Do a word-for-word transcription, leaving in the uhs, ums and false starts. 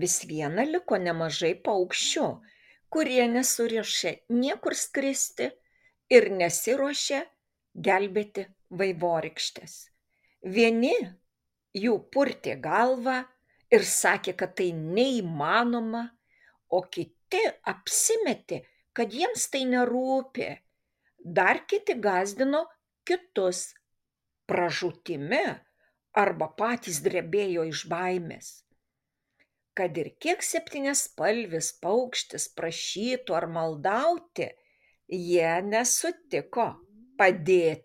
Vis viena liko nemažai paukščių, kurie nesiruošė niekur skristi ir nesiruošė gelbėti vaivorykštės. Vieni jų purtė galvą ir sakė, kad tai neįmanoma, o kiti apsimetė, kad jiems tai nerūpi. Dar kiti gąsdino kitus pražūtimi arba patys drebėjo iš baimės. Kad ir kiek septyniaspalvis paukštis prašytų ar maldauti, jie nesutiko padėti.